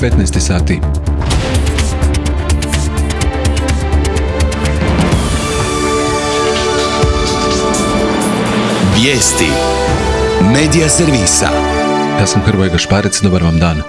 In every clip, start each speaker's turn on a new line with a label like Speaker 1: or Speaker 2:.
Speaker 1: 15 sati.
Speaker 2: Vijesti Medija servisa.
Speaker 1: Ja sam Hrvoje Gašparec, dobar vam dan.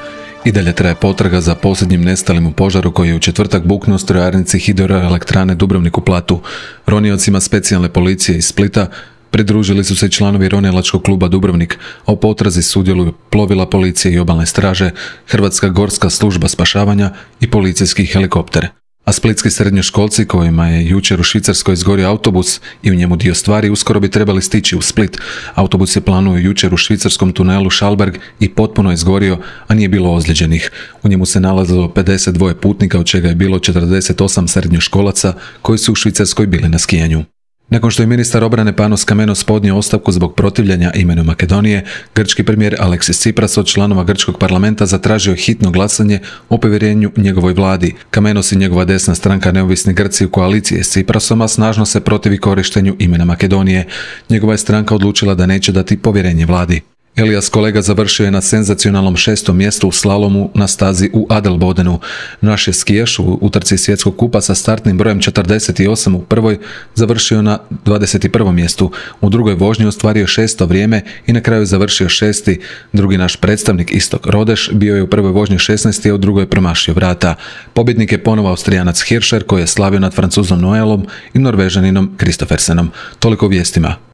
Speaker 1: I dalje traje potraga za posljednjim nestalim u požaru koji je u četvrtak buknuo u strojarnici Hidroelektrane Dubrovnik u Platu. Roniocima specijalne policije iz Splita pridružili su se i članovi ronilačkog kluba Dubrovnik, a u potrazi sudjeluju plovila policije i obalne straže, Hrvatska gorska služba spašavanja i policijski helikopter. A splitski srednjoškolci kojima je jučer u Švicarskoj izgorio autobus i u njemu dio stvari uskoro bi trebali stići u Split. Autobus je planuo jučer u švicarskom tunelu Schalberg i potpuno izgorio, a nije bilo ozlijeđenih. U njemu se nalazilo 52 putnika, od čega je bilo 48 srednjoškolaca koji su u Švicarskoj bili na skijanju. Nakon što je ministar obrane Panos Kamenos podnio ostavku zbog protivljenja imenu Makedonije, grčki premijer Aleksis Tsipras od članova grčkog parlamenta zatražio hitno glasanje o povjerenju njegovoj vladi. Kamenos i njegova desna stranka Neovisni Grci u koaliciji s Tsiprasom snažno se protivi korištenju imena Makedonije. Njegova je stranka odlučila da neće dati povjerenje vladi. Elias Kolega završio je na senzacionalnom 6. mjestu u slalomu na stazi u Adelbodenu. Naš je skijaš u utrci svjetskog kupa sa startnim brojem 48 u prvoj završio na 21. mjestu. U drugoj vožnji ostvario 6. vrijeme i na kraju završio 6. Drugi naš predstavnik Istok Rodeš bio je u prvoj vožnji 16. a u drugoj promašio vrata. Pobjednik je ponovo Austrijanac Hirscher koji je slavio nad Francuzom Noelom i Norvežaninom Kristoffersenom. Toliko o vijestima.